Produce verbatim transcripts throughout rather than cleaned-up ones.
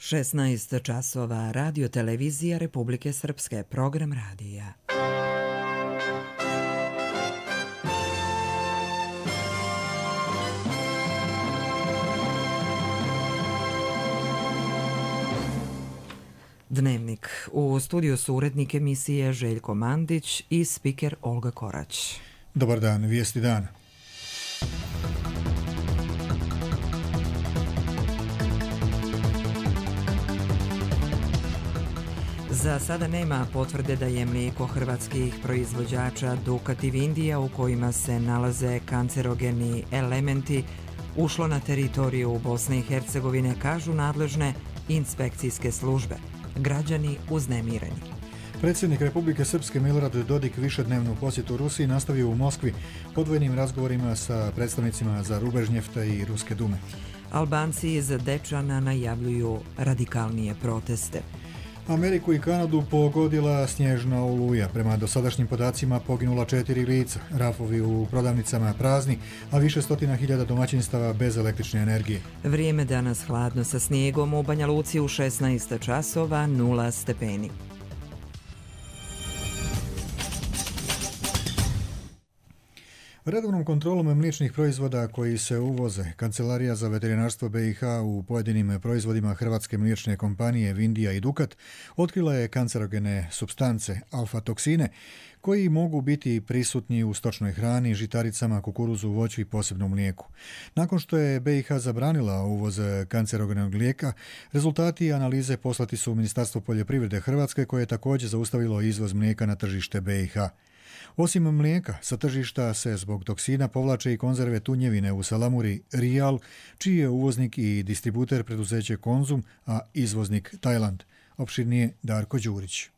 šesnaest časova, Radio televizija Republike Srpske, program radija. Dnevnik. U studiju su urednik emisije Željko Mandić i spiker Olga Korać. Dobar dan, vijesti dana. Za sada nema potvrde da je mlijeko hrvatskih proizvođača Dukat i Vindija, u kojima se nalaze kancerogeni elementi, ušlo na teritoriju Bosne i Hercegovine, kažu nadležne inspekcijske službe. Građani uznemireni. Predsjednik Republike Srpske Milorad Dodik višednevnu posjetu Rusiji nastavio u Moskvi odvojenim razgovorima sa predstavnicima Zarubežnjefta i Ruske dume. Albanci iz Dečana najavljuju radikalnije proteste. Ameriku i Kanadu pogodila snježna oluja. Prema dosadašnjim podacima poginula četiri lica, rafovi u prodavnicama prazni, a više stotina hiljada domaćinstava bez električne energije. Vrijeme danas hladno sa snijegom, u Banja Luci u šesnaest časova, nula stepeni. Redovnom kontrolom mliječnih proizvoda koji se uvoze, Kancelarija za veterinarstvo B i H u pojedinim proizvodima hrvatske mliječne kompanije Vindija i Dukat otkrila je kancerogene supstance, alfa-toksine, koji mogu biti prisutni u stočnoj hrani, žitaricama, kukuruzu, voću i posebno mlijeku. Nakon što je B i H zabranila uvoz kancerogenog lijeka, rezultati analize poslati su u Ministarstvo poljoprivrede Hrvatske, koje je također zaustavilo izvoz mlijeka na tržište B i H. Osim mlijeka, sa tržišta se zbog toksina povlače i konzerve tunjevine u salamuri Rijal, čiji je uvoznik i distributer preduzeće Konzum, a izvoznik Tajland. Opširnije Darko Đurić.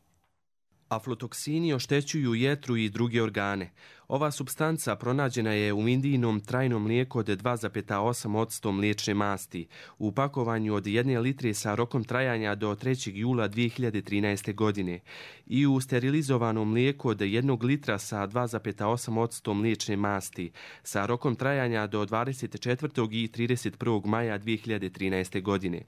Aflatoksini oštećuju jetru i druge organe. Ova supstanca pronađena je u Vindijinom trajnom mlijeku od dva zarez osam posto mliječne masti, u pakovanju od jedne litre sa rokom trajanja do trećeg jula dvije hiljade trinaeste. godine i u sterilizovanom mlijeku od jednog litra sa dva zarez osam posto mliječne masti, sa rokom trajanja do dvadeset četvrtog i trideset prvog maja dvije hiljade trinaeste. godine.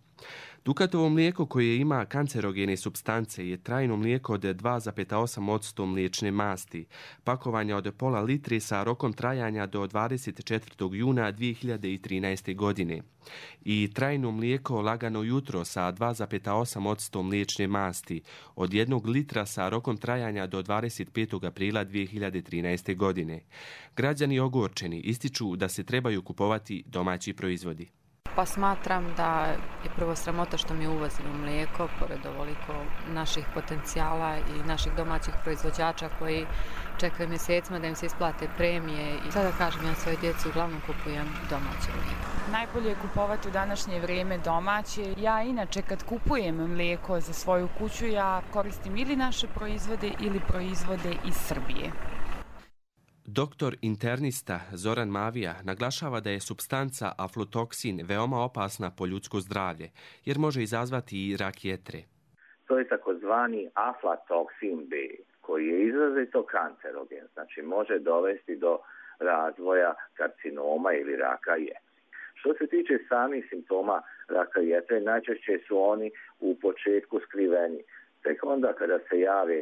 Dukatovo mlijeko koje ima kancerogene supstance je trajno mlijeko od dva zarez osam posto mliječne masti, pakovanja od pola litre sa rokom trajanja do dvadeset četvrtog juna dvije hiljade trinaeste. godine i trajno mlijeko lagano jutro sa dva zarez osam posto mliječne masti od jednog litra sa rokom trajanja do dvadeset petog aprila dvije hiljade trinaeste. godine. Građani ogorčeni ističu da se trebaju kupovati domaći proizvodi. Pa smatram da je prvo sramota što mi uvozimo mlijeko, pored ovoliko naših potencijala i naših domaćih proizvođača koji čekaju mjesecima da im se isplate premije. I sada kažem, ja svoje djeci uglavnom kupujem domaće mlijeko. Najbolje je kupovati u današnje vrijeme domaće. Ja inače kad kupujem mlijeko za svoju kuću, ja koristim ili naše proizvode ili proizvode iz Srbije. Doktor internista Zoran Mavija naglašava da je supstanca aflatoksin veoma opasna po ljudsko zdravlje, jer može izazvati i rak jetre. To je takozvani aflatoksin B, koji je izrazito kancerogen, znači može dovesti do razvoja karcinoma ili raka jetre. Što se tiče samih simptoma raka jetre, najčešće su oni u početku skriveni. Tek onda kada se jave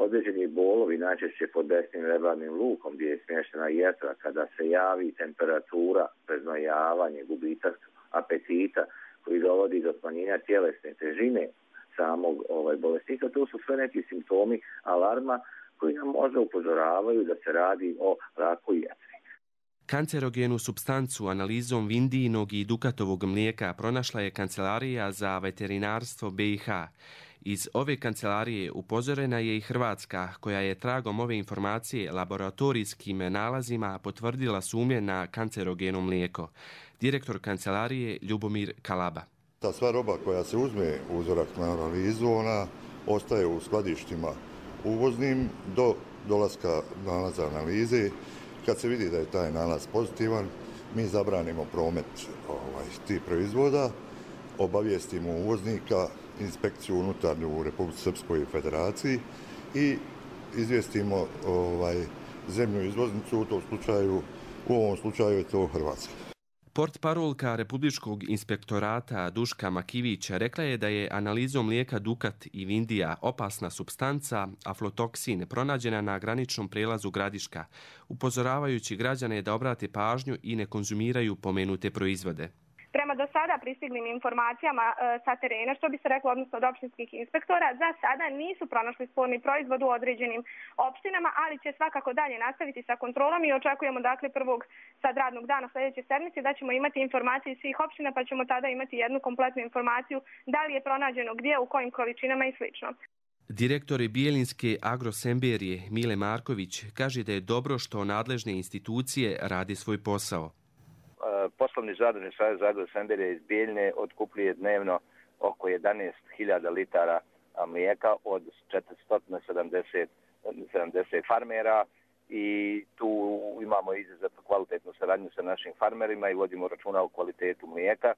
određeni bolovi, najčešće pod desnim rebarnim lukom gdje je smještena jetra, kada se javi temperatura, preznojavanje, gubitak apetita koji dovodi do smanjenja tjelesne težine samog ovaj, bolesnika, to su sve neki simptomi alarma koji nam možda upozoravaju da se radi o raku jetre. Kancerogenu supstancu analizom Vindijinog i Dukatovog mlijeka pronašla je Kancelarija za veterinarstvo B i H. Iz ove kancelarije upozorena je i Hrvatska, koja je tragom ove informacije laboratorijskim nalazima potvrdila sumnje na kancerogeno mlijeko. Direktor kancelarije Ljubomir Kalaba. Ta sva roba koja se uzme uzorak na analizu, ona ostaje u skladištima uvoznim do dolaska nalaza analize. Kad se vidi da je taj nalaz pozitivan, mi zabranimo promet ovaj, tih proizvoda, obavijestimo uvoznika, inspekciju unutarnju u Republici Srpskoj Federaciji i izvijestimo ovaj, zemlju izvoznicu, u tom slučaju, u ovom slučaju je to Hrvatska. Portparolka Republičkog inspektorata Duška Makivić rekla je da je analizom mlijeka Dukat i Vindija opasna supstanca aflatoksin pronađena na graničnom prelazu Gradiška, upozoravajući građane da obrate pažnju i ne konzumiraju pomenute proizvode. Prema do sada pristiglim informacijama e, sa terena, što bi se reklo odnosno od opštinskih inspektora, za sada nisu pronašli sporni proizvod u određenim opštinama, ali će svakako dalje nastaviti sa kontrolom i očekujemo dakle prvog sad radnog dana sljedeće sedmice da ćemo imati informacije iz svih opština, pa ćemo tada imati jednu kompletnu informaciju da li je pronađeno gdje, u kojim količinama i slično. Direktor Bijeljinske agrosemberije Mile Marković kaže da je dobro što nadležne institucije radi svoj posao. Poslovni zadružni savez agrosemberije iz Bijeljne otkupljuje dnevno oko jedanaest hiljada litara mlijeka od četiristo sedamdeset farmera i tu imamo izuzetno kvalitetnu saradnju sa našim farmerima i vodimo računa o kvalitetu mlijeka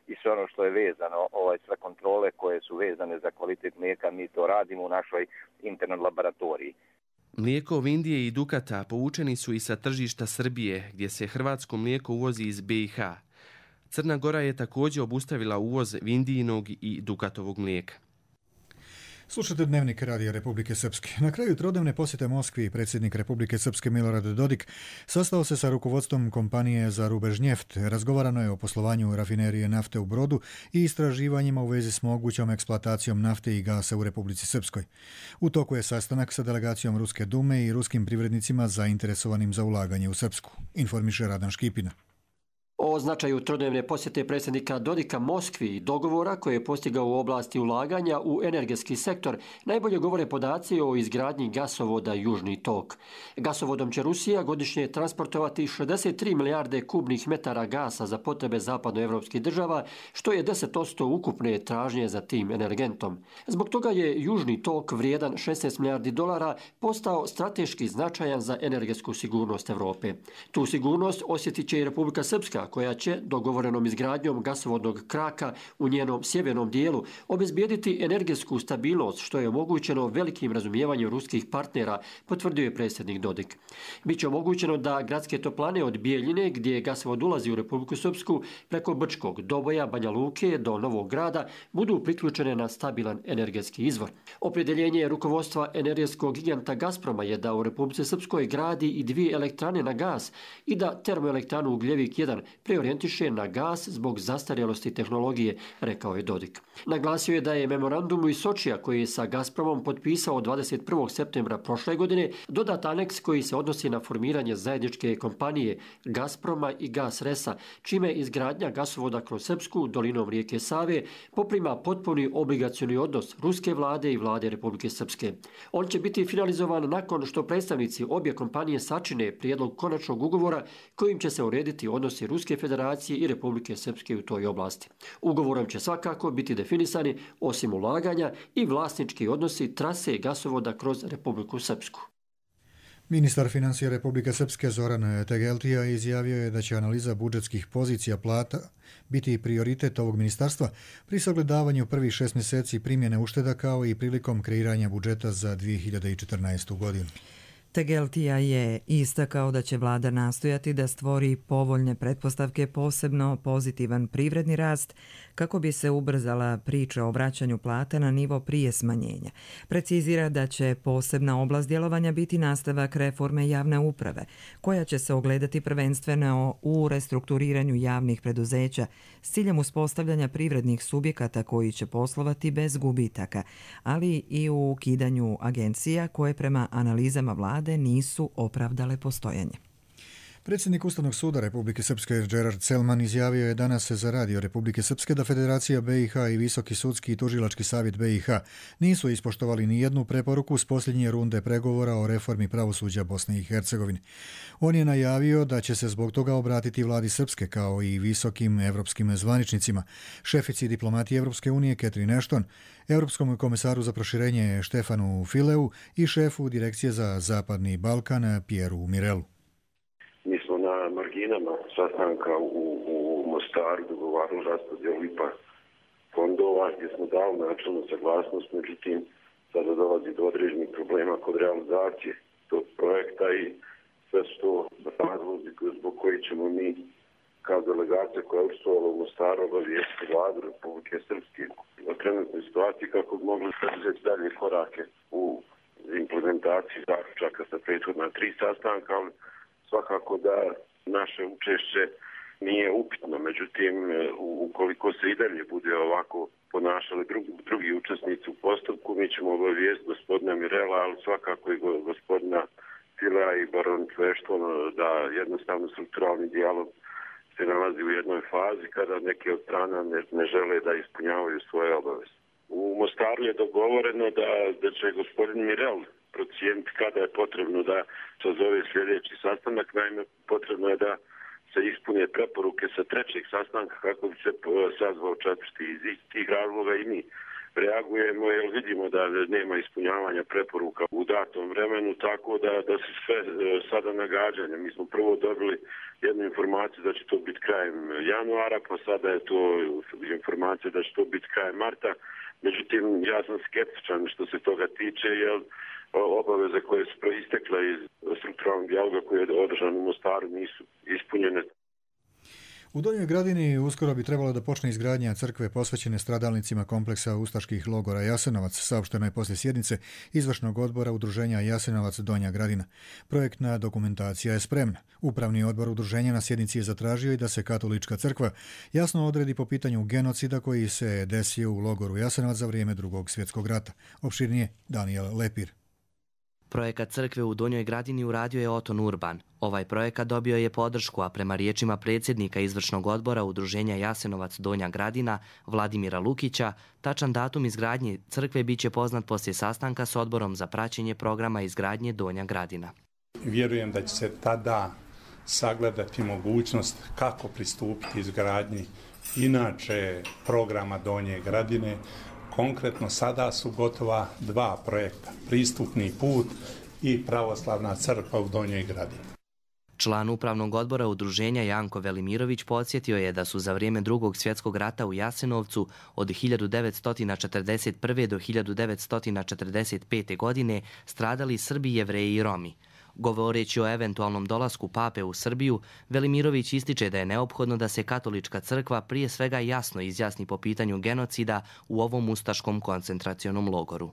i sve ono što je vezano, ovaj, sve kontrole koje su vezane za kvalitet mlijeka, mi to radimo u našoj internoj laboratoriji. Mlijeko Vindije i Dukata povučeni su i sa tržišta Srbije, gdje se hrvatsko mlijeko uvozi iz B i H. Crna Gora je također obustavila uvoz Vindijinog i Dukatovog mlijeka. Slušate Dnevnik Radija Republike Srpske. Na kraju trodnevne posjete Moskvi predsjednik Republike Srpske Milorad Dodik sastao se sa rukovodstvom kompanije za Rubežnjeft. Razgovarano je o poslovanju rafinerije nafte u Brodu i istraživanjima u vezi s mogućom eksploatacijom nafte i gasa u Republici Srpskoj. U toku je sastanak sa delegacijom Ruske dume i ruskim privrednicima zainteresovanim za ulaganje u Srpsku, informiše Radan Škipina. O značaju trodnevne posjete predsjednika Dodika Moskvi i dogovora koje je postigao u oblasti ulaganja u energetski sektor najbolje govore podaci o izgradnji gasovoda Južni tok. Gasovodom će Rusija godišnje transportovati šezdeset tri milijarde kubnih metara gasa za potrebe zapadnoevropskih država, što je deset posto ukupne tražnje za tim energentom. Zbog toga je Južni tok vrijedan šesnaest milijardi dolara postao strateški značajan za energetsku sigurnost Evrope. Tu sigurnost osjetit će i Republika Srpska, koja će dogovorenom izgradnjom gasovodnog kraka u njenom sjevernom dijelu obezbijediti energetsku stabilnost, što je omogućeno velikim razumijevanjem ruskih partnera, potvrdio je predsjednik Dodik. Biće omogućeno da gradske toplane od Bijeljine, gdje gasovod ulazi u Republiku Srpsku, preko Brčkog, Doboja, Banja Luke do Novog Grada, budu priključene na stabilan energetski izvor. Opredjeljenje rukovodstva energetskog giganta Gazproma je da u Republici Srpskoj gradi i dvije elektrane na gas i da termoelektranu Ugljevik jedan preorijentiše na gas zbog zastarjelosti tehnologije, rekao je Dodik. Naglasio je da je memorandum iz Sočija, koji je sa Gazpromom potpisao dvadeset prvog septembra prošle godine, dodat aneks koji se odnosi na formiranje zajedničke kompanije Gazproma i Gasresa, čime izgradnja gasovoda kroz Srpsku dolinom rijeke Save poprima potpuni obligacioni odnos ruske vlade i vlade Republike Srpske. On će biti finalizovan nakon što predstavnici obje kompanije sačine prijedlog konačnog ugovora kojim će se urediti odnosi Ruske federacije i Republike Srpske u toj oblasti. Ugovorom će svakako biti definisani, osim ulaganja, i vlasnički odnosi trase gasovoda kroz Republiku Srpsku. Ministar financija Republike Srpske Zoran Tegeltija izjavio je da će analiza budžetskih pozicija plata biti prioritet ovog ministarstva pri sagledavanju prvih šest mjeseci primjene ušteda kao i prilikom kreiranja budžeta za dvije hiljade četrnaestu. godinu. Tegeltija je istakao da će vlada nastojati da stvori povoljne pretpostavke, posebno pozitivan privredni rast, kako bi se ubrzala priča o vraćanju plata na nivo prije smanjenja. Precizira da će posebna oblast djelovanja biti nastavak reforme javne uprave, koja će se ogledati prvenstveno u restrukturiranju javnih preduzeća s ciljem uspostavljanja privrednih subjekata koji će poslovati bez gubitaka, ali i u ukidanju agencija koje prema analizama vlade nisu opravdale postojanje. Predsjednik Ustavnog suda Republike Srpske Gerard Selman izjavio je danas za Radio Republike Srpske da Federacija B i H i Visoki sudski i tužilački savjet B i H nisu ispoštovali ni jednu preporuku s posljednje runde pregovora o reformi pravosuđa Bosne i Hercegovine. On je najavio da će se zbog toga obratiti vladi Srpske kao i visokim evropskim zvaničnicima, šefici diplomatije Evropske unije Catherine Ashton, Europskom komisaru za proširenje Štefanu Fileu i šefu Direkcije za Zapadni Balkan Pieru Mirelu. Na marginama sastanka u, u Mostaru dogovarali raspodjelu I P A fondova gdje smo dali načelnu saglasnost, međutim sada dolazi do određenih problema kod realizacije tog projekta i sve su to razlozi zbog koji ćemo mi kao delegacija koja je učestvovala u Mostaru obavijesti vladu Republike Srpske o trenutnoj situaciji kako bi mogli preduzeti dalje korake u implementaciji zaključaka sa prethodna tri sastanka, ali svakako da naše učešće nije upitno. Međutim, ukoliko se i dalje bude ovako ponašali drugi, drugi učesnici u postupku, mi ćemo obavijesti gospodina Mirela, ali svakako i gospodina Tila i baron Tvešton da jednostavno strukturalni dijalog se nalazi u jednoj fazi kada neke od strana ne, ne žele da ispunjavaju svoje obaveze. U Mostaru je dogovoreno da, da će gospodin Mirel procijeniti kada je potrebno da sazove sljedeći sastanak. Naime, potrebno je da se ispune preporuke sa trećeg sastanka kako bi se sazvao četvrti. Iz tih razloga i mi reagujemo jer vidimo da nema ispunjavanja preporuka u datom vremenu, tako da, da se sve sada nagađanja. Mi smo prvo dobili jednu informaciju da će to biti krajem januara, pa sada je to informacija da će to biti krajem marta. Međutim, ja sam skeptičan što se toga tiče, jer obaveze koje su proistekle iz strukturalnog dijaloga koji je održan u Mostaru nisu ispunjene. U Donjoj Gradini uskoro bi trebalo da počne izgradnja crkve posvećene stradalnicima kompleksa ustaških logora Jasenovac, saopšteno je poslije sjednice izvršnog odbora udruženja Jasenovac Donja Gradina. Projektna dokumentacija je spremna. Upravni odbor udruženja na sjednici je zatražio i da se katolička crkva jasno odredi po pitanju genocida koji se desio u logoru Jasenovac za vrijeme Drugog svjetskog rata. Opširnije Daniel Lepir. Projekat crkve u Donjoj Gradini uradio je Oton Urban. Ovaj projekat dobio je podršku, a prema riječima predsjednika izvršnog odbora udruženja Jasenovac Donja Gradina, Vladimira Lukića, tačan datum izgradnje crkve biće poznat poslije sastanka s odborom za praćenje programa izgradnje Donja Gradina. Vjerujem da će se tada sagledati mogućnost kako pristupiti izgradnji inače programa Donje Gradine. Konkretno sada su gotova dva projekta, pristupni put i pravoslavna crkva u Donjoj Gradini. Član upravnog odbora udruženja Janko Velimirović podsjetio je da su za vrijeme Drugog svjetskog rata u Jasenovcu od hiljadu devetsto četrdeset prve. do hiljadu devetsto četrdeset pete. godine stradali Srbi, Jevreji i Romi. Govoreći o eventualnom dolasku pape u Srbiju, Velimirović ističe da je neophodno da se katolička crkva prije svega jasno izjasni po pitanju genocida u ovom ustaškom koncentracionom logoru.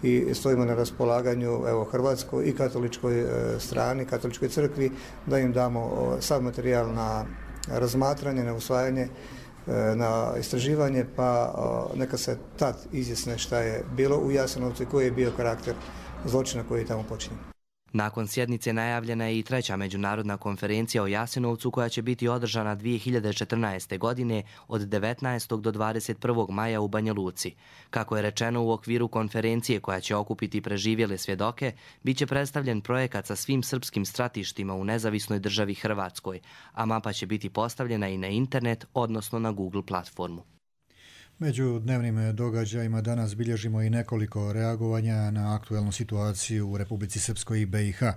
I stojimo na raspolaganju evo, hrvatskoj i katoličkoj e, strani, katoličkoj crkvi, da im damo o, sav materijal na razmatranje, na usvajanje, e, na istraživanje, pa o, neka se tad izjasne šta je bilo u Jasenovcu i koji je bio karakter zločina koji je tamo počinjen. Nakon sjednice najavljena je i treća međunarodna konferencija o Jasenovcu koja će biti održana dvije hiljade četrnaeste. godine od devetnaestog do dvadeset prvog maja u Banja Luci. Kako je rečeno, u okviru konferencije koja će okupiti preživjele svjedoke, bit će predstavljen projekat sa svim srpskim stratištima u nezavisnoj državi Hrvatskoj, a mapa će biti postavljena i na internet, odnosno na Google platformu. Među dnevnim događajima danas bilježimo i nekoliko reagovanja na aktuelnu situaciju u Republici Srpskoj i be i ha.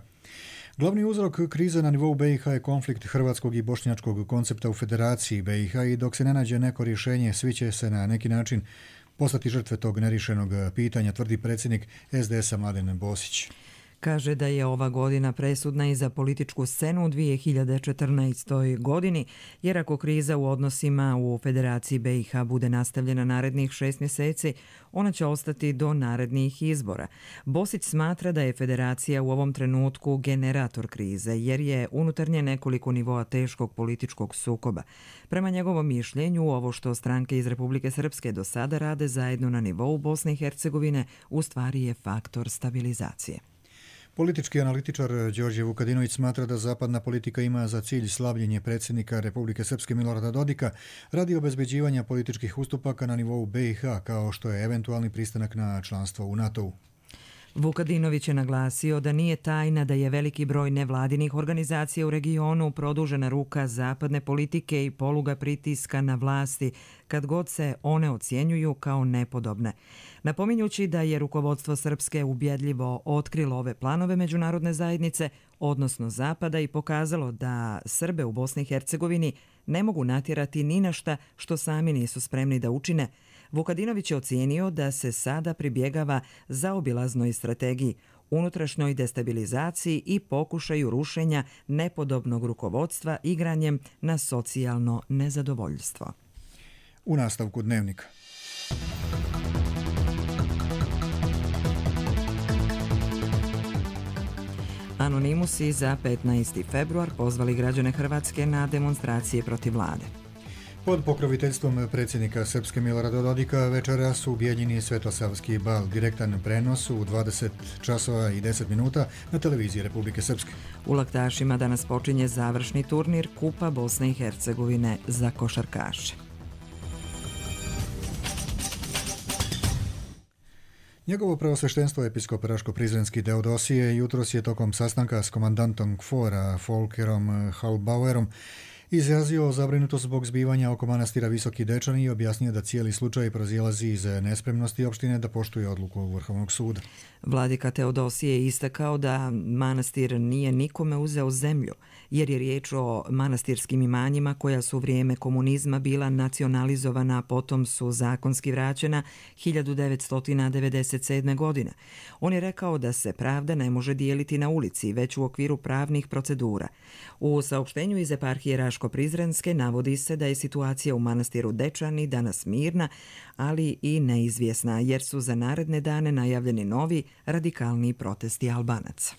Glavni uzrok krize na nivou be i ha je konflikt hrvatskog i bošnjačkog koncepta u Federaciji be i ha i dok se ne nađe neko rješenje, svi će se na neki način postati žrtve tog nerješenog pitanja, tvrdi predsjednik es de esa Mladen Bosić. Kaže da je ova godina presudna i za političku scenu u dvije hiljade četrnaestoj. godini, jer ako kriza u odnosima u Federaciji be i ha bude nastavljena narednih šest mjeseci, ona će ostati do narednih izbora. Bosić smatra da je Federacija u ovom trenutku generator krize, jer je unutarnje nekoliko nivoa teškog političkog sukoba. Prema njegovom mišljenju, ovo što stranke iz Republike Srpske do sada rade zajedno na nivou Bosne i Hercegovine u stvari je faktor stabilizacije. Politički analitičar Đorđe Vukadinović smatra da zapadna politika ima za cilj slavljenje predsjednika Republike Srpske Milorada Dodika radi obezbeđivanja političkih ustupaka na nivou be i ha, kao što je eventualni pristanak na članstvo u NATO-u. Vukadinović je naglasio da nije tajna da je veliki broj nevladinih organizacija u regionu produžena ruka zapadne politike i poluga pritiska na vlasti kad god se one ocjenjuju kao nepodobne. Napominjući da je rukovodstvo Srpske ubjedljivo otkrilo ove planove međunarodne zajednice, odnosno Zapada, i pokazalo da Srbe u Bosni i Hercegovini ne mogu natjerati ni na šta što sami nisu spremni da učine, Vukadinović je ocijenio da se sada pribjegava zaobilaznoj strategiji, unutrašnjoj destabilizaciji i pokušaju rušenja nepodobnog rukovodstva igranjem na socijalno nezadovoljstvo. U nastavku dnevnika. Anonimusi za petnaesti februar pozvali građane Hrvatske na demonstracije protiv vlade. Pod pokroviteljstvom predsjednika Srpske Milorada Dodika večeras u Bijeljini Svetosavski bal, direktan prenos u dvadeset časova i deset minuta na televiziji Republike Srpske. U Laktašima danas počinje završni turnir Kupa Bosne i Hercegovine za košarkaše. Njegovo preosveštenstvo episkop Raško-Prizrenski Teodosije jutros je tokom sastanka s komandantom Kfora Folkerom Halbauerom izrazio zabrinutost zbog zbivanja oko manastira Visoki Dečani i objasnio da cijeli slučaj proizilazi iz nespremnosti opštine da poštuje odluku Vrhovnog suda. Vladika Teodosije je istakao da manastir nije nikome uzeo zemlju, jer je riječ o manastirskim imanjima koja su u vrijeme komunizma bila nacionalizovana, a potom su zakonski vraćena hiljadu devetsto devedeset sedme. godine. On je rekao da se pravda ne može dijeliti na ulici, već u okviru pravnih procedura. U saopštenju iz eparhije Raško-Prizrenske navodi se da je situacija u manastiru Dečani danas mirna, ali i neizvjesna, jer su za naredne dane najavljeni novi radikalni protesti Albanaca.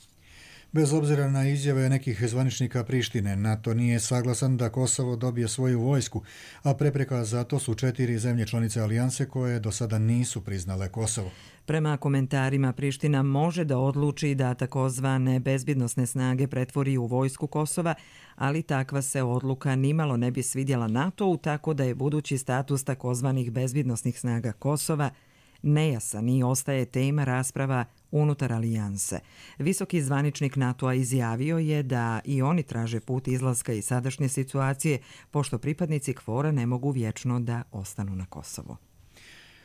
Bez obzira na izjave nekih zvaničnika Prištine, NATO nije saglasan da Kosovo dobije svoju vojsku, a prepreka za to su četiri zemlje članice alijanse koje do sada nisu priznale Kosovo. Prema komentarima, Priština može da odluči da takozvane bezbjednosne snage pretvori u vojsku Kosova, ali takva se odluka nimalo ne bi svidjela NATO-u, tako da je budući status takozvanih bezbjednosnih snaga Kosova nejasan i ostaje tema rasprava unutar alijanse. Visoki zvaničnik NATO-a izjavio je da i oni traže put izlaska iz sadašnje situacije, pošto pripadnici Kfora ne mogu vječno da ostanu na Kosovo.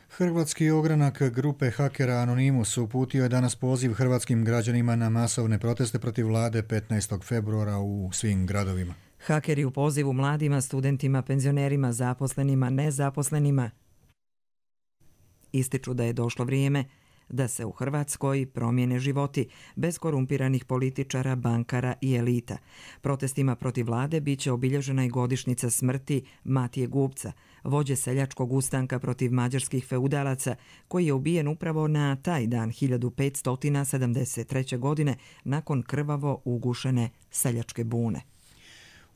Hrvatski ogranak grupe hakera Anonimus uputio je danas poziv hrvatskim građanima na masovne proteste protiv vlade petnaestog februara u svim gradovima. Hakeri u pozivu mladima, studentima, penzionerima, zaposlenima, nezaposlenima ističu da je došlo vrijeme da se u Hrvatskoj promijene životi bez korumpiranih političara, bankara i elita. Protestima protiv vlade bit će obilježena i godišnjica smrti Matije Gubca, vođe seljačkog ustanka protiv mađarskih feudalaca, koji je ubijen upravo na taj dan hiljadu petsto sedamdeset treće. godine nakon krvavo ugušene seljačke bune.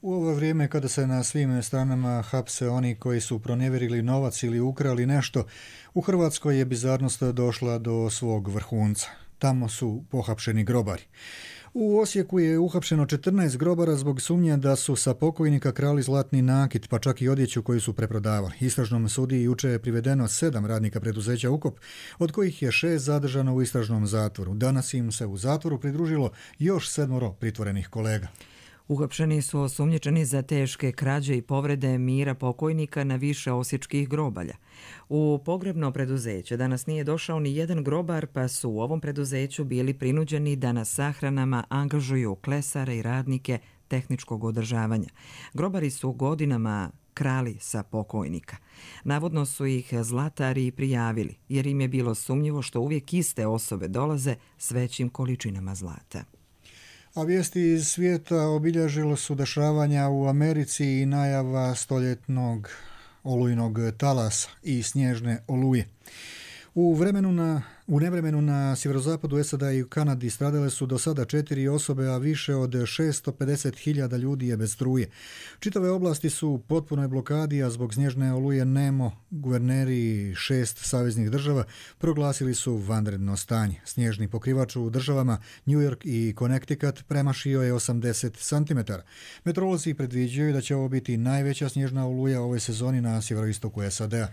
U ovo vrijeme kada se na svim stranama hapse oni koji su pronevjerili novac ili ukrali nešto, u Hrvatskoj je bizarnost došla do svog vrhunca. Tamo su pohapšeni grobari. U Osijeku je uhapšeno četrnaest grobara zbog sumnje da su sa pokojnika krali zlatni nakit, pa čak i odjeću koju su preprodavali. Istražnom sudiji juče je privedeno sedam radnika preduzeća Ukop, od kojih je šest zadržano u istražnom zatvoru. Danas im se u zatvoru pridružilo još sedmoro pritvorenih kolega. Uhapšeni su osumnjičeni za teške krađe i povrede mira pokojnika na više osječkih grobalja. U pogrebno preduzeće danas nije došao ni jedan grobar, pa su u ovom preduzeću bili prinuđeni da na sahranama angažuju klesare i radnike tehničkog održavanja. Grobari su godinama krali sa pokojnika. Navodno su ih zlatari prijavili, jer im je bilo sumnjivo što uvijek iste osobe dolaze s većim količinama zlata. A vijesti iz svijeta obilježilo su dešavanja u Americi i najava stoljetnog olujnog talasa i snježne oluje. U vremenu na U nevremenu na sjeverozapadu S A D-a i u Kanadi stradale su do sada četiri osobe, a više od šesto pedeset hiljada ljudi je bez struje. Čitave oblasti su u potpunoj blokadi, a zbog snježne oluje nemo guverneri šest saveznih država proglasili su vanredno stanje. Snježni pokrivač u državama New York i Connecticut premašio je osamdeset centimetara. Meteorolozi predviđaju da će ovo biti najveća snježna oluja ove sezoni na sjeveroistoku S A D-a.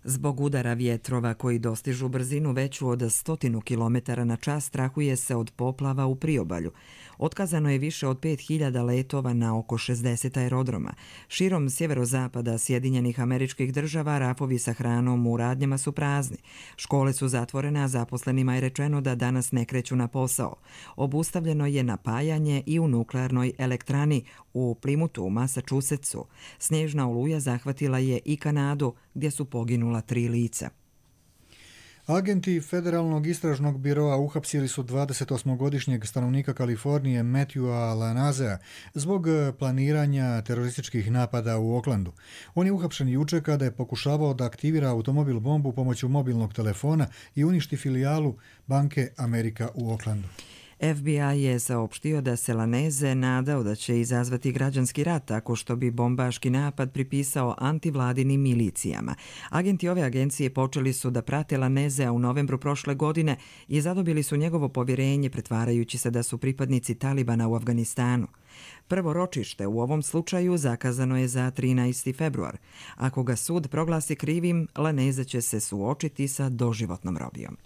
Zbog udara vjetrova koji dostižu brzinu veću od stotinu kilometara na čas strahuje se od poplava u priobalju. Otkazano je više od pet hiljada letova na oko šezdeset aerodroma. Širom sjeverozapada Sjedinjenih Američkih Država rafovi sa hranom u radnjama su prazni. Škole su zatvorene, a zaposlenima je rečeno da danas ne kreću na posao. Obustavljeno je napajanje i u nuklearnoj elektrani u Plymouthu u Massachusettsu. Snježna oluja zahvatila je i Kanadu, gdje su poginula tri lica. Agenti Federalnog istražnog biroa uhapsili su dvadesetosmogodišnjeg stanovnika Kalifornije Matthewa Lanazea zbog planiranja terorističkih napada u Oaklandu. On je uhapšen juče kada je pokušavao da aktivira automobil bombu pomoću mobilnog telefona i uništi filijalu banke Amerika u Oaklandu. F B I je saopštio da se Laneze nadao da će izazvati građanski rat tako što bi bombaški napad pripisao antivladinim milicijama. Agenti ove agencije počeli su da prate Lanezea u novembru prošle godine i zadobili su njegovo povjerenje pretvarajući se da su pripadnici Talibana u Afganistanu. Prvo ročište u ovom slučaju zakazano je za trinaesti februar. Ako ga sud proglasi krivim, Laneze će se suočiti sa doživotnom robijom.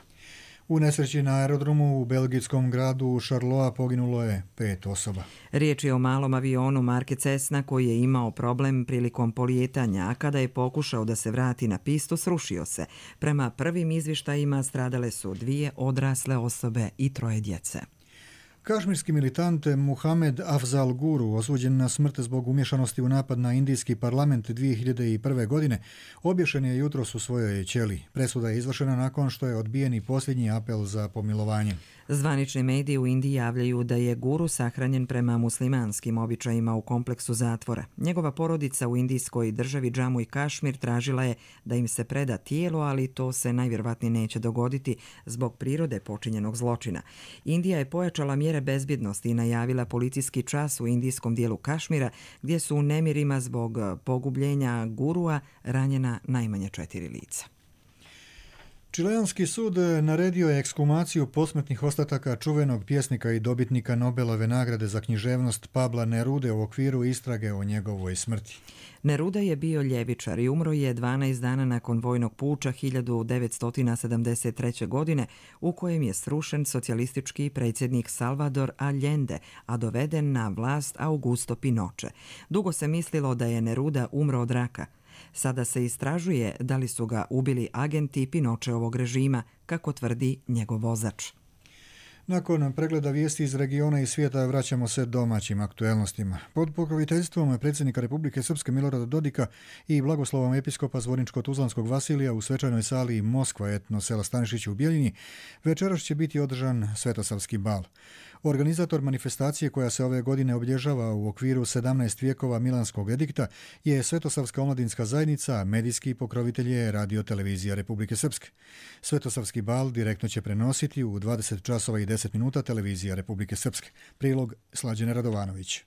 U nesreći na aerodromu u belgijskom gradu Charleroi poginulo je pet osoba. Riječ je o malom avionu marke Cessna koji je imao problem prilikom polijetanja, a kada je pokušao da se vrati na pistu, srušio se. Prema prvim izvještajima stradale su dvije odrasle osobe i troje djece. Kašmirski militant Muhamed Afzal Guru, osuđen na smrt zbog umješanosti u napad na indijski parlament dvije hiljade prve. godine, obješen je jutros u svojoj ćeliji. Presuda je izvršena nakon što je odbijen i posljednji apel za pomilovanje. Zvanični mediji u Indiji javljaju da je Guru sahranjen prema muslimanskim običajima u kompleksu zatvora. Njegova porodica u indijskoj državi Džamu i Kašmir tražila je da im se preda tijelo, ali to se najvjerojatnije neće dogoditi zbog prirode počinjenog zločina. Indija je pojačala mjere bezbjednosti i najavila policijski čas u indijskom dijelu Kašmira, gdje su u nemirima zbog pogubljenja Gurua ranjena najmanje četiri lica. Čileanski sud naredio je ekshumaciju posmrtnih ostataka čuvenog pjesnika i dobitnika Nobelove nagrade za književnost Pabla Nerude u okviru istrage o njegovoj smrti. Neruda je bio ljevičar i umro je dvanaest dana nakon vojnog puča hiljadu devetsto sedamdeset treće. godine u kojem je srušen socijalistički predsjednik Salvador Allende, a doveden na vlast Augusto Pinochet. Dugo se mislilo da je Neruda umro od raka. Sada se istražuje da li su ga ubili agenti Pinochetovog režima, kako tvrdi njegov vozač. Nakon pregleda vijesti iz regiona i svijeta vraćamo se domaćim aktuelnostima. Pod pokroviteljstvom predsjednika Republike Srpske Milorada Dodika i blagoslovom episkopa Zvorničko-Tuzlanskog Vasilija u svečanoj sali Moskva etno sela Stanišić u Bijeljini večeras će biti održan Svetosavski bal. Organizator manifestacije koja se ove godine obilježava u okviru sedamnaest vijekova Milanskog edikta je Svetosavska omladinska zajednica, medijski pokrovitelj je Radio televizija Republike Srpske. Svetosavski bal direktno će prenositi u dvadeset časova i deset minuta televizija Republike Srpske. Prilog Slađane Radovanović.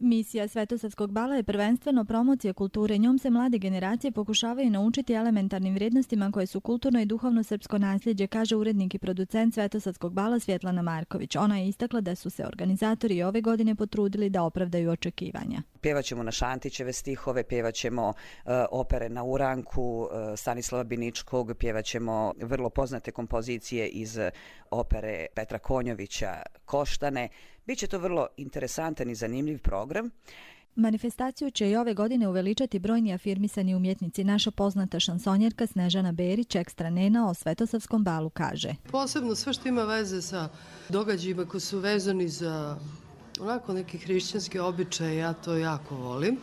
Misija Svetosavskog bala je prvenstveno promocija kulture. Njom se mlade generacije pokušavaju naučiti elementarnim vrijednostima koje su kulturno i duhovno srpsko nasljeđe, kaže urednik i producent Svetosavskog bala Svjetlana Marković. Ona je istakla da su se organizatori ove godine potrudili da opravdaju očekivanja. Pjevaćemo na Šantićeve stihove, pjevaćemo uh, opere na uranku uh, Stanislava Biničkog, pjevaćemo vrlo poznate kompozicije iz opere Petra Konjovića Koštane. Biće to vrlo interesantan i zanimljiv program. Manifestaciju će i ove godine uveličati brojni afirmisani umjetnici. Naša poznata šansonjerka Snežana Berić, ekstra nena o Svetosavskom balu, kaže. Posebno sve što ima veze sa događajima koji su vezani za onako neki hrišćanski običaj, ja to jako volim.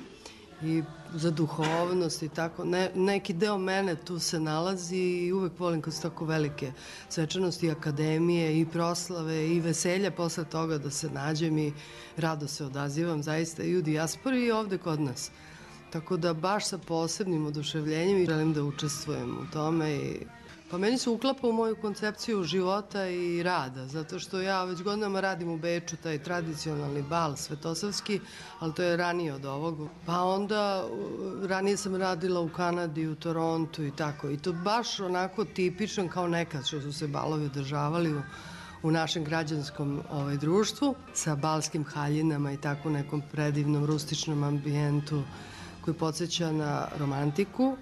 I za duhovnost i tako. Ne, neki deo mene tu se nalazi i uvek volim kad su tako velike svečanosti, akademije i proslave i veselja posle toga da se nađem i rado se odazivam zaista i u dijaspori i ovde kod nas. Tako da baš sa posebnim oduševljenjem i želim da učestvujem u tome i pa meni se uklapa u moju koncepciju života i rada, zato što ja već godinama radim u Beču taj tradicionalni bal svetosavski, ali to je ranije od ovog. Pa onda ranije sam radila u Kanadi, u Torontu i tako. I to baš onako tipičan kao nekad što su se balovi održavali u, u našem građanskom ovaj, društvu sa balskim haljinama i tako nekom predivnom rustičnom ambijentu koji podsjeća na romantiku,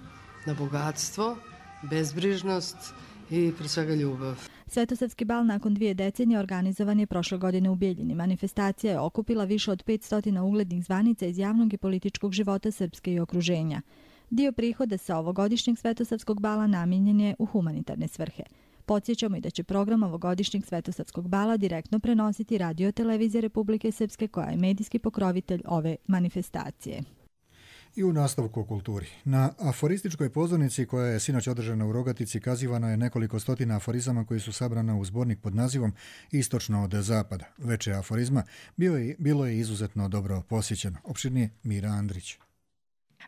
na bogatstvo, bezbrižnost i pre svega ljubav. Svetosavski bal nakon dvije decenije organizovan je prošle godine u Bijeljini. Manifestacija je okupila više od petsto uglednih zvanica iz javnog i političkog života Srpske i okruženja. Dio prihoda sa ovogodišnjeg Svetosavskog bala namijenjen je u humanitarne svrhe. Podsjećamo i da će program ovogodišnjeg Svetosavskog bala direktno prenositi Radio televizija Republike Srpske koja je medijski pokrovitelj ove manifestacije. I u nastavku o kulturi. Na aforističkoj pozornici koja je sinoć održana u Rogatici kazivano je nekoliko stotina aforizama koji su sabrana u zbornik pod nazivom Istočno od zapada. Veće aforizma bio je, bilo je izuzetno dobro posjećeno. Opširnije Mira Andrić.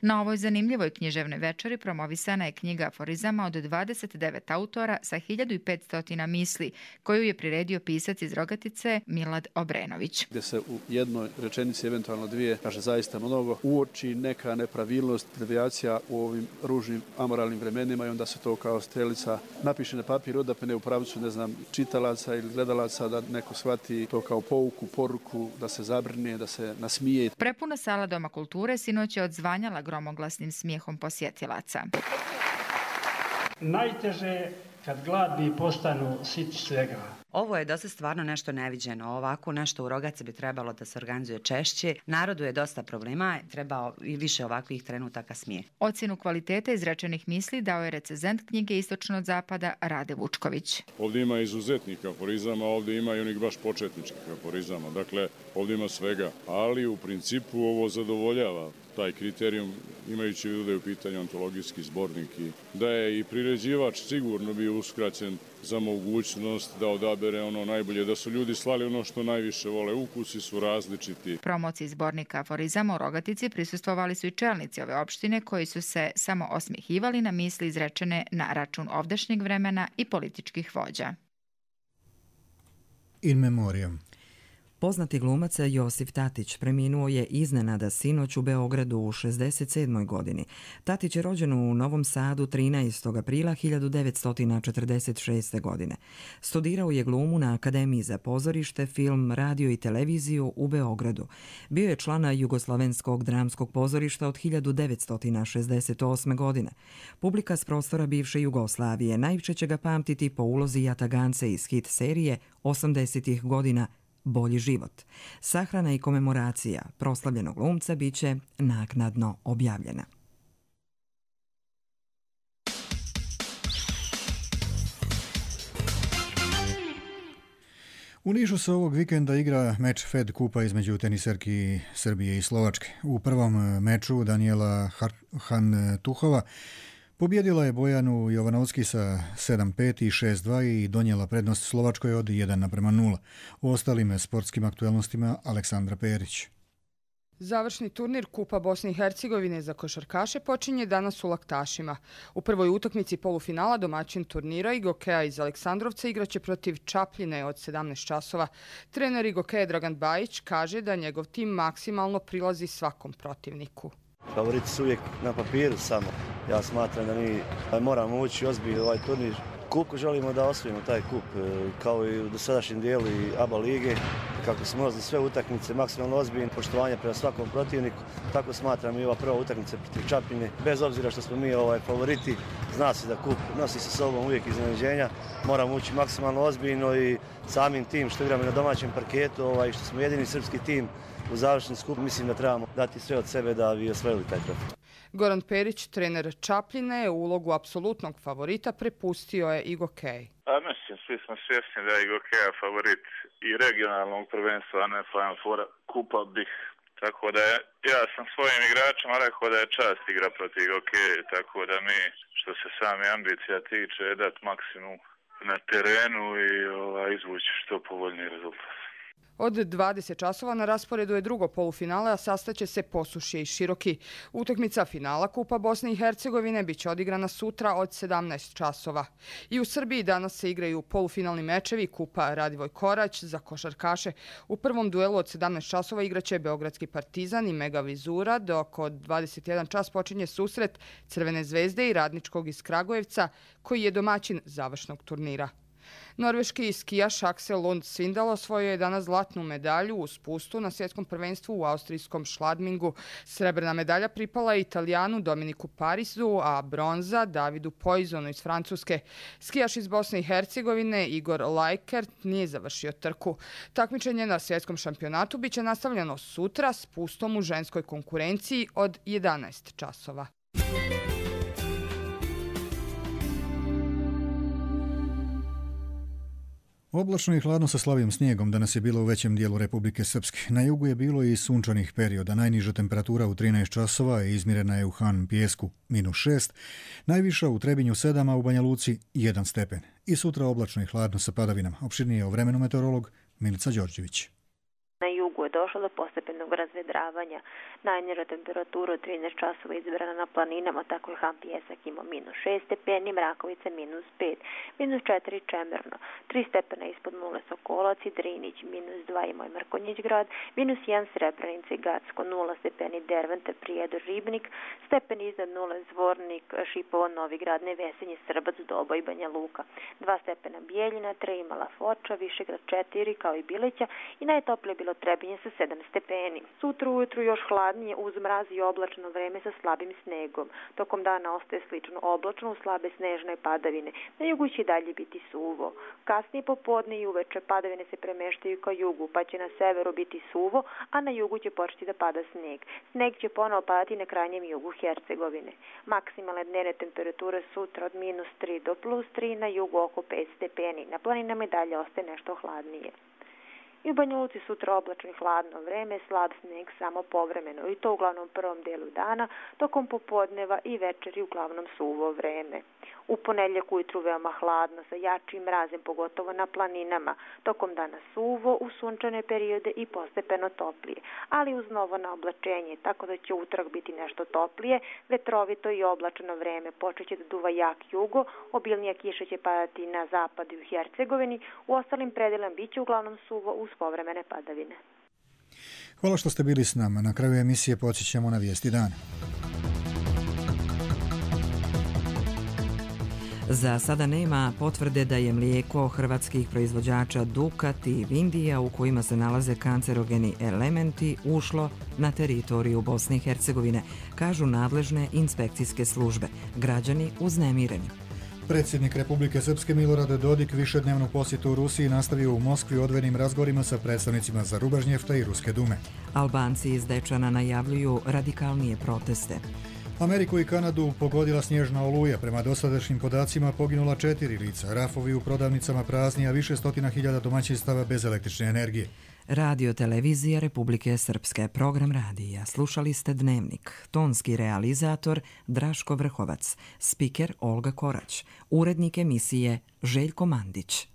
Na ovoj zanimljivoj književnoj večeri promovisana je knjiga aforizama od dvadeset devet autora sa hiljadu petsto misli, koju je priredio pisac iz Rogatice Milad Obrenović. Gdje se u jednoj rečenici, eventualno dvije, kaže zaista mnogo, uoči neka nepravilnost, devijacija u ovim ružnim amoralnim vremenima i onda se to kao strelica napiše na papir, odapne u pravcu, ne znam, čitalaca ili gledalaca, da neko shvati to kao pouku, poruku, da se zabrine, da se nasmije. Prepuna sala Doma kulture sinoć je odzvanjala gromoglasnim smijehom posjetilaca. Najteže kad gladni postanu siti svega. Ovo je dosta stvarno nešto neviđeno. Ovako nešto u Rogaci bi trebalo da se organizuje češće. Narodu je dosta problema, trebao i više ovakvih trenutaka smije. Ocjenu kvaliteta izrečenih misli dao je recenzent knjige Istočno od zapada Rade Vučković. Ovdje ima izuzetnih aforizama, ovdje ima i onih baš početničkih aforizama. Dakle, ovdje ima svega. Ali u principu ovo zadovoljava taj kriterijum, imajući u vidu da je u pitanju antologijski zbornik i da je i priređivač sigurno bio uskraćen za mogućnost da odabere ono najbolje, da su ljudi slali ono što najviše vole, ukusi su različiti. Promociji zbornika aforizama u Rogatici prisustvovali su i čelnici ove opštine koji su se samo osmjehivali na misli izrečene na račun ovdašnjeg vremena i političkih vođa. In memoriam. Poznati glumac Josif Tatić preminuo je iznenada sinoć u Beogradu u šezdeset sedmoj godini. Tatić je rođen u Novom Sadu trinaestog aprila hiljadu devetsto četrdeset šeste. godine. Studirao je glumu na Akademiji za pozorište, film, radio i televiziju u Beogradu. Bio je član Jugoslovenskog dramskog pozorišta od hiljadu devetsto šezdeset osme. godine. Publika s prostora bivše Jugoslavije najviše će ga pamtiti po ulozi Jatagance iz hit serije osamdesetih godina Bolji život. Sahrana i komemoracija proslavljenog glumca biće naknadno objavljena. U Nišu se ovog vikenda igra meč Fed Kupa između teniserki Srbije i Slovačke. U prvom meču Daniela Hantuhova pobjedila je Bojanu Jovanovski sa sedam pet i šest dva i donijela prednost Slovačkoj od jedan naprema nula. U ostalim sportskim aktuelnostima Aleksandra Perić. Završni turnir Kupa Bosne i Hercegovine za košarkaše počinje danas u Laktašima. U prvoj utakmici polufinala domaćin turnira Igokeja iz Aleksandrovca igraće protiv Čapljine od sedamnaest časova. Trener Igokeja Dragan Bajić kaže da njegov tim maksimalno prilazi svakom protivniku. Favoriti su uvijek na papiru samo. Ja smatram da mi moramo ući ozbiljno ovaj turnir. Kup želimo da osvojimo taj kup, kao i u dosadašnjem dijelu i A B A lige. Kako smo ulazili sve utakmice, maksimalno ozbiljno, poštovanje prema svakom protivniku. Tako smatram i ova prva utakmica protiv Čapljine. Bez obzira što smo mi ovaj favoriti, zna se da kup nosi sa sobom uvijek iznenađenja. Moramo ući maksimalno ozbiljno i samim tim što igramo na domaćem parketu, ovaj, što smo jedini srpski tim u završni skup, mislim da trebamo dati sve od sebe da bi osvojili taj trofej. Goran Perić, trener Čapljine, u ulogu apsolutnog favorita prepustio je Igokej. A mislim, svi smo svjesni da je Igokeja favorit i regionalnog prvenstva, a ne Final Foura Kupa bih. Tako da je, ja sam svojim igračima rekao da je čast igra protiv Igokeje, tako da mi, što se sami ambicija tiče, dati maksimum na terenu i ovaj, izvući što povoljniji rezultat. Od dvadeset časova na rasporedu je drugo polufinale, a sastaće se Posušje i Široki. Utakmica finala Kupa Bosne i Hercegovine biće odigrana sutra od sedamnaest časova. I u Srbiji danas se igraju polufinalni mečevi Kupa Radivoj Korać za košarkaše. U prvom duelu od sedamnaest časova igraće Beogradski Partizan i Mega Vizura, dok od dvadeset jedan čas počinje susret Crvene zvezde i Radničkog iz Kragujevca, koji je domaćin završnog turnira. Norveški skijaš Aksel Lund Svindal osvojio je danas zlatnu medalju u spustu na svjetskom prvenstvu u austrijskom Šladmingu. Srebrna medalja pripala je Italijanu Dominiku Parisu, a bronza Davidu Poizonu iz Francuske. Skijaš iz Bosne i Hercegovine Igor Lajkert nije završio trku. Takmičenje na svjetskom šampionatu biće nastavljeno sutra spustom u ženskoj konkurenciji od jedanaest časova. Oblačno i hladno sa slabim snijegom danas je bilo u većem dijelu Republike Srpske. Na jugu je bilo i sunčanih perioda. Najniža temperatura u trinaest časova i izmjerena je u Han Pijesku minus šest, najviša u Trebinju sedam, a u Banja Luci jedan stepen. I sutra oblačno i hladno sa padavinama. Opširnije o vremenu meteorolog Milica Đorđević. Na jugu je došlo do postepenog razvedravanja. Najniža temperatura od trinaest časova izbrana na planinama, tako je Han Pijesak imao minus šest stepeni, Mrakovica minus pet, minus četiri Čemerno, tri stepena ispod nule Sokolac i Drinić, minus dva imao je Mrkonjić grad, minus jedan Srebrenica i Gacko, nula stepeni Dervente, Prijedor, Ribnik, stepen iznad nule Zvornik, Šipovo, Novi Grad, Nevesenje, Srbac, Doba i Banja Luka, dva stepena Bijeljina, tri Mala Foča, Višegrad četiri kao i Bileća i najtoplije bilo Trebinje sa sedam stepeni. Sutra ujutru još hladnije uz mraz i oblačno vreme sa slabim snegom. Tokom dana ostaje slično oblačno uz slabe snežne padavine. Na jugu će dalje biti suvo. Kasnije popodne i uveče padavine se premeštaju ka jugu, pa će na severu biti suvo, a na jugu će početi da pada sneg. Sneg će ponovo padati na krajnjem jugu Hercegovine. Maksimalne dnevne temperature sutra od minus tri do plus tri, na jugu oko pet stepeni. Na planinama i dalje ostaje nešto hladnije. I u Banja Luci sutra oblačno i hladno vreme, slab sneg samo povremeno i to uglavnom prvom delu dana, tokom popodneva i večeri uglavnom suvo vreme. U ponedjeljak ujutru veoma hladno sa jačim mrazem, pogotovo na planinama, tokom dana suvo, u sunčane periode i postepeno toplije, ali uz novo naoblačenje, tako da će utorak biti nešto toplije, vetrovito i oblačeno vreme, počeće da duva jak jugo, obilnija kiša će padati na zapadu i u Hercegovini, u ostalim predelama biće uglavnom suvo uz povremene padavine. Hvala što ste bili s nama. Na kraju emisije podsjećamo na vijesti dana. Za sada nema potvrde da je mlijeko hrvatskih proizvođača Dukat i Vindija, u kojima se nalaze kancerogeni elementi, ušlo na teritoriju Bosne i Hercegovine, kažu nadležne inspekcijske službe. Građani uznemireni. Predsjednik Republike Srpske Milorad Dodik višednevnu posjetu u Rusiji nastavio u Moskvi odvojenim razgovorima sa predstavnicima Zarubažnjefta i Ruske dume. Albanci iz Dečana najavljuju radikalnije proteste. Ameriku i Kanadu pogodila snježna oluja. Prema dosadašnjim podacima poginula četiri lica. Rafovi u prodavnicama prazni, a više stotina hiljada domaćinstava bez električne energije. Radio Televizija Republike Srpske, program radija. Slušali ste Dnevnik. Tonski realizator Draško Vrhovac. Spiker Olga Korać. Urednik emisije Željko Mandić.